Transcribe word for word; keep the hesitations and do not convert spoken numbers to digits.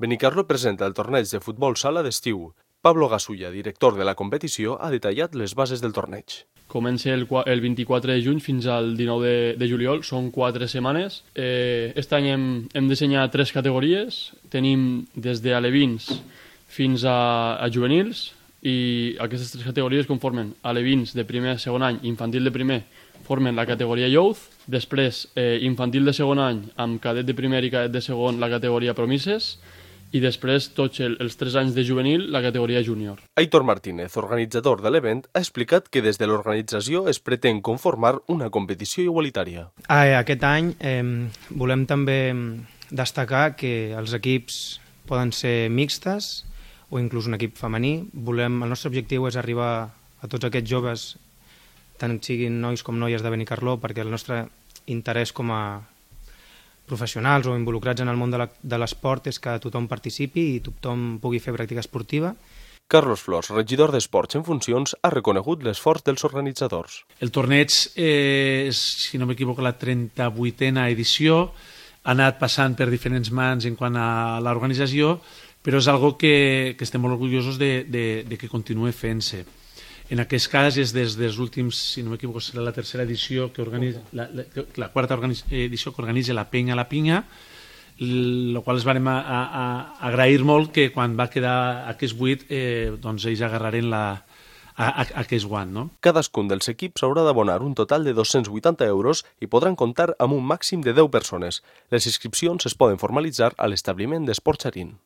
Benicarló presenta el torneig de futbol sala d'estiu. Pablo Gasulla, director de la competició, ha detallat les bases del torneig. Comença el, el vint-i-quatre de juny fins al dinou de, de juliol, són quatre setmanes. Eh, aquest any hem, hem dissenyat tres categories, tenim des d'alevins fins a, a juvenils, i aquestes tres categories conformen alevins de primer a segon any, infantil de primer, formen la categoria Youth, després eh, infantil de segon any amb cadet de primer i cadet de segon la categoria Promises, i després tots el, els tres anys de juvenil la categoria júnior. Aitor Martínez, organitzador de l'event, ha explicat que des de l'organització es pretén conformar una competició igualitària. Aquest any eh, volem també destacar que els equips poden ser mixtes o inclús un equip femení. Volem, el nostre objectiu és arribar a tots aquests joves, tant siguin nois com noies de Benicarló, perquè el nostre interès com a professionals o involucrats en el món de l'esport és que tothom participi i tothom pugui fer pràctica esportiva. Carlos Flors, regidor d'Esports en funcions, ha reconegut l'esforç dels organitzadors. El torneig és, si no m'equivoco, la trenta-vuitena edició, ha anat passant per diferents mans en quant a l'organització, però és algo que, que estem molt orgullosos de, de, de que continuï fent-se. En aquest cas és des dels últims, si no m'equivoco, serà la tercera edició que organitza, la, la, la quarta edició que organitza la Penya a la Pinya, el qual es vam a, a, a agrair molt que quan va quedar aquest buit eh, doncs ells agarraren la, a, a, aquest guant. No? Cadascun dels equips haurà d'abonar un total de dos-cents vuitanta euros i podran comptar amb un màxim de deu persones. Les inscripcions es poden formalitzar a l'establiment d'Esports Xarín.